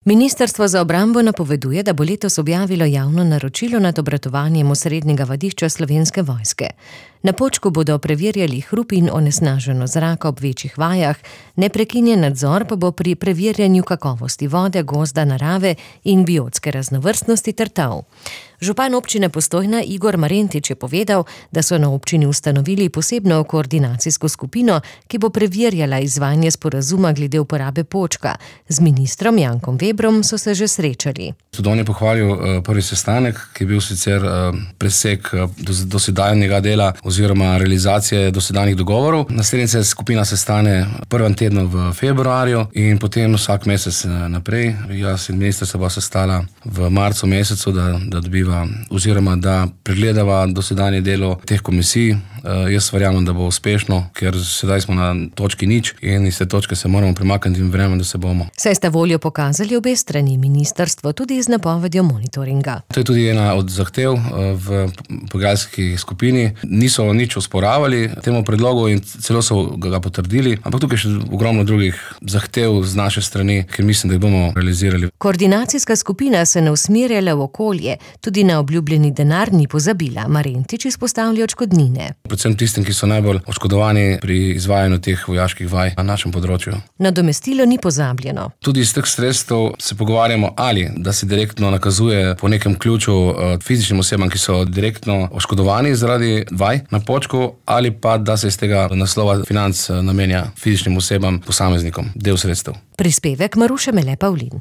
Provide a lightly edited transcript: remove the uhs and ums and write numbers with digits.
Ministrstvo za obrambo napoveduje, da bo letos objavilo javno naročilo nad obratovanjem osrednjega vadišča Slovenske vojske. Na Počku bodo preverjali hrup in onesnaženost zraka ob večjih vajah, neprekinjen nadzor pa bo pri preverjanju kakovosti vode, gozda, narave in biotske raznovrstnosti ter tal. Župan občine Postojna Igor Marentič je povedal, da so na občini ustanovili posebno koordinacijsko skupino, ki bo preverjala izvajanje sporazuma glede uporabe Počka. Z ministrom Jankom Vebrom so se že srečali. Tudi on je pohvalil prvi sestanek, ki je bil sicer presek dosedanjega dela oziroma realizacije dosedanjih dogovorov. Naslednja se skupina sestane v prvem tednu v februarju in potem vsak mesec naprej. Jaz in minister se bo sestala v marcu mesecu, da dobiva oziroma da pregledava dosedanje delo teh komisij. Jaz verjamem, da bo uspešno, ker sedaj smo na točki nič in iz te točke se moramo premakniti in verjamem, da se bomo. Saj sta voljo pokazali obe strani, ministrstvo tudi z napovedjo monitoringa. To je tudi ena od zahtev v pogajalski skupini. Niso nič osporavali temu predlogu in celo so ga potrdili, ampak tukaj še ogromno drugih zahtev z naše strani, ker mislim, da jih bomo realizirali. Koordinacijska skupina se ne usmerjala v okolje, tudi na obljubljeni denar ni pozabila. Marentič izpostavlja odškodnine. Predvsem tistim, ki so najbolj oškodovani pri izvajanju teh vojaških vaj na našem področju. Nadomestilo ni pozabljeno. Tudi iz teh sredstev se pogovarjamo, ali da se direktno nakazuje po nekem ključu fizičnim osebam, ki so direktno oškodovani zaradi vaj na Počku, ali pa da se iz tega naslova financ namenja fizičnim osebam, posameznikom, del sredstev. Prispevek Maruše Mele Pavlin.